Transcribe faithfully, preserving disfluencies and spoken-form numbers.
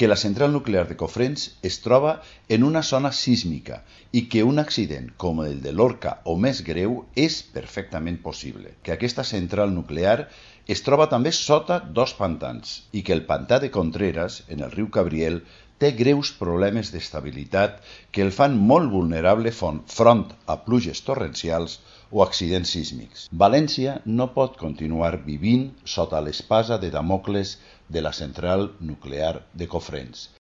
que la central nuclear de Cofrents es troba en una zona sísmica i que un accident com el de Lorca o més greu és perfectament possible, que aquesta central nuclear es troba també sota dos pantans i que el pantà de Contreras, en el riu Cabriel, té greus problemes d'estabilitat que el fan molt vulnerable front a pluges torrencials o accidents sísmics. València no pot continuar vivint sota l'espasa de Damocles de la central nuclear de Cofrents.